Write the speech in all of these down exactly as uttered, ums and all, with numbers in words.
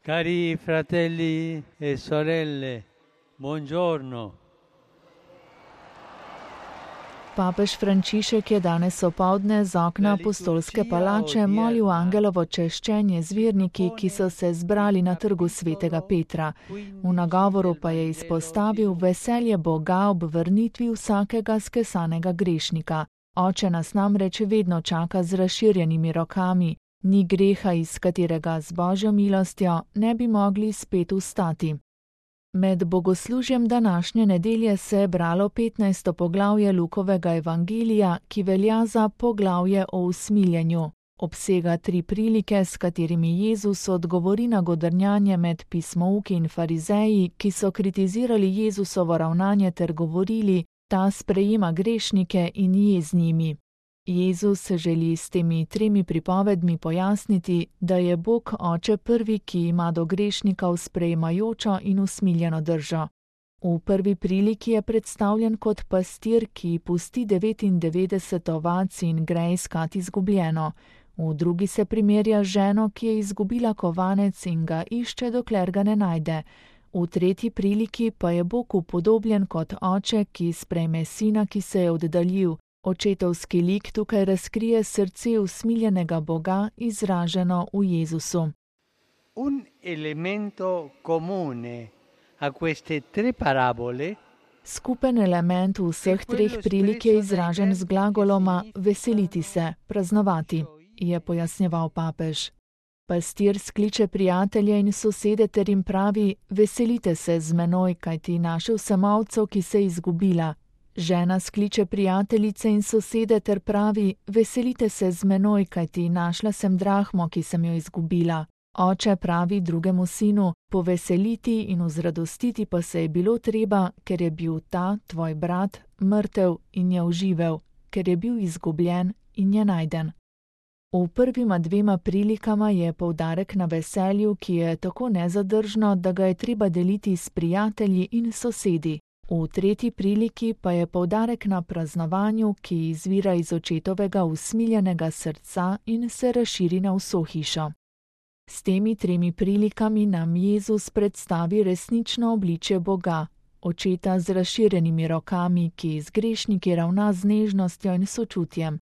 Cari fratelli e sorelle, buongiorno. Papež Frančišek je danes opoldne z okna apostolske palače molil angelovo češčenje z verniki, ki so se zbrali na trgu svetega Petra. V nagovoru pa je izpostavil veselje Boga ob vrnitvi vsakega skesanega grešnika. Oče nas namreč vedno čaka z razširjenimi rokami, ni greha, iz katerega z Božjo milostjo ne bi mogli spet vstati. Med bogoslužjem današnje nedelje se je bralo petnajsto poglavje Lukovega evangelija, ki velja za poglavje o usmiljenju. Obsega tri prilike, s katerimi Jezus odgovori na godrnjanje med pismouki in farizeji, ki so kritizirali Jezusovo ravnanje ter govorili, ta sprejema grešnike in je z njimi. Jezus želi s temi tremi pripovedmi pojasniti, da je Bog Oče prvi, ki ima do grešnikov sprejemajočo in usmiljeno držo. V prvi priliki je predstavljen kot pastir, ki pusti devetindevetdeset ovac in gre iskat izgubljeno. V drugi se primerja z ženo, ki je izgubila kovanec in ga išče, dokler ga ne najde. V tretji priliki pa je Bog upodobljen kot oče, ki sprejme sina, ki se je oddaljil. Očetovski lik tukaj razkrije srce usmiljenega Boga, izraženo v Jezusu. Un elemento comune a queste tre parabole Skupen element vseh treh prilik je izražen z glagoloma veseliti se, praznovati, je pojasnjeval papež. Pastir skliče prijatelje in sosede ter jim pravi: veselite se z menoj, kajti našel sem ovco, ki se je izgubila. Žena skliče prijateljice in sosede ter pravi: veselite se z menoj, kajti našla sem drahmo, ki sem jo izgubila. Oče pravi drugemu sinu: poveseliti in vzradostiti pa se je bilo treba, ker je bil ta, tvoj brat, mrtev in je oživel, ker je bil izgubljen in je najden. V prvima dvema prilikama je poudarek na veselju, ki je tako nezadržno, da ga je treba deliti s prijatelji in sosedi. V tretji priliki pa je poudarek na praznovanju, ki izvira iz očetovega usmiljenega srca in se razširi na vso hišo. S temi tremi prilikami nam Jezus predstavi resnično obličje Boga, očeta z razširjenimi rokami, ki z grešniki ravna z nežnostjo in sočutjem.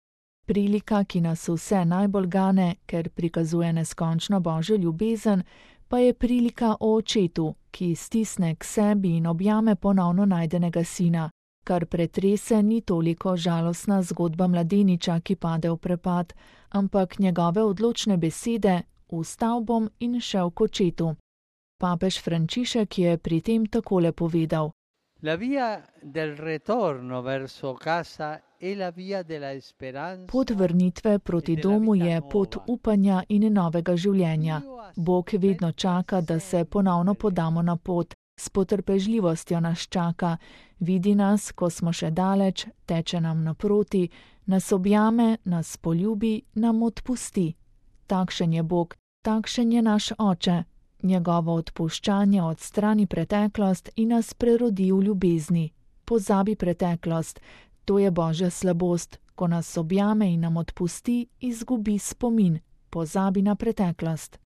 Prilika, ki nas vse najbolj gane, ker prikazuje neskončno Božjo ljubezen, pa je prilika o očetu, ki stisne k sebi in objame ponovno najdenega sina. Kar pretrese ni toliko žalostna zgodba mladeniča, ki pade v prepad, ampak njegove odločne besede: vstal bom in šel k očetu. Papež Frančišek je pri tem takole povedal: La via del retorno verso casa è la via della speranza. Pot vrnitve proti domu je pot upanja in novega življenja. Bog vedno čaka, da se ponovno podamo na pot. S potrpežljivostjo nas čaka, vidi nas, ko smo še daleč, teče nam naproti, nas objame, nas poljubi, nam odpusti. Takšen je Bog, takšen je naš Oče. Njegovo odpuščanje odstrani preteklost in nas prerodi v ljubezni. Pozabi preteklost, to je Božja slabost. Ko nas objame in nam odpusti, izgubi spomin, pozabi na preteklost.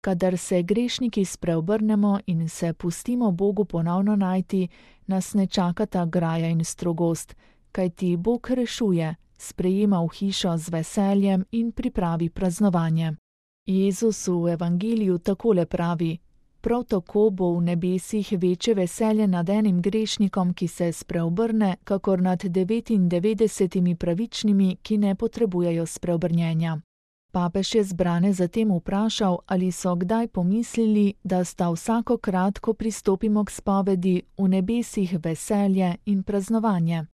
Kadar se grešniki spreobrnemo in se pustimo Bogu ponovno najti, nas ne čakata graja in strogost, kajti Bog rešuje, sprejema v hišo z veseljem in pripravi praznovanje. Jezus v evangeliju takole pravi: prav tako bo v nebesih večje veselje nad enim grešnikom, ki se spreobrne, kakor nad devetindevetdesetimi pravičnimi, ki ne potrebujejo spreobrnjenja. Papež je zbrane zatem vprašal, ali so kdaj pomislili, da sta vsakokrat, ko pristopimo k spovedi, v nebesih veselje in praznovanje.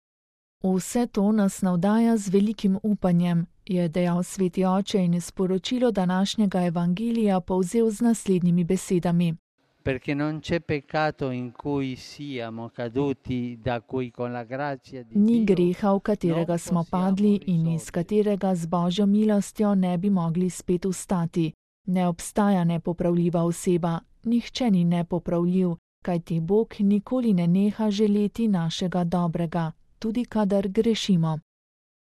Vse to nas navdaja z velikim upanjem, je dejal sveti oče in sporočilo današnjega evangelija povzel z naslednjimi besedami. Perché non c'è peccato in cui siamo caduti, da cui con la grazia di Dio Ni greha, v katerega smo padli in iz katerega z Božjo milostjo ne bi mogli spet vstati. Ne obstaja nepopravljiva oseba, nihče ni nepopravljiv, kajti Bog nikoli ne neha želeti našega dobrega, tudi kadar grešimo.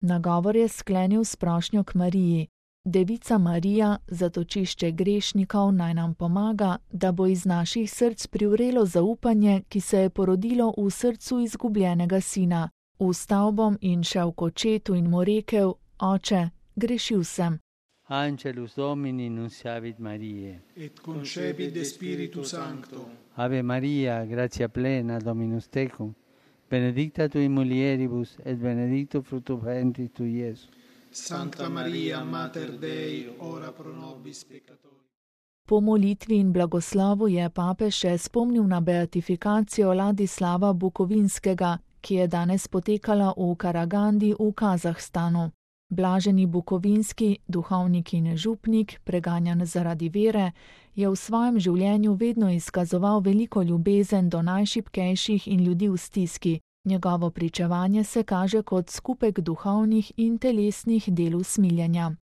Nagovor je sklenil s prošnjo k Mariji: Devica Marija, zatočišče grešnikov, naj nam pomaga, da bo iz naših src privrelo zaupanje, ki se je porodilo v srcu izgubljenega sina. Vstal bom in šel k očetu in mu rekel: Oče, grešil sem. Angelus Domini nunciavit Mariae. Et concepit de Spiritu Sancto. Ave Maria, gratia plena, Dominus tecum, benedicta tui mulieribus, et benedictus fructus ventris tui, Iesus. Sancta Maria, Mater Dei, ora pro nobis peccatori. Po molitvi in blagoslovu je papež še spomnil na beatifikacijo Ladislava Bukovinskega, ki je danes potekala v Karagandi v Kazahstanu. Blaženi Bukovinski, duhovnik in župnik, preganjan zaradi vere, je v svojem življenju vedno izkazoval veliko ljubezen do najšibkejših in ljudi v stiski. Njegovo pričevanje se kaže kot skupek duhovnih in telesnih del usmiljenja.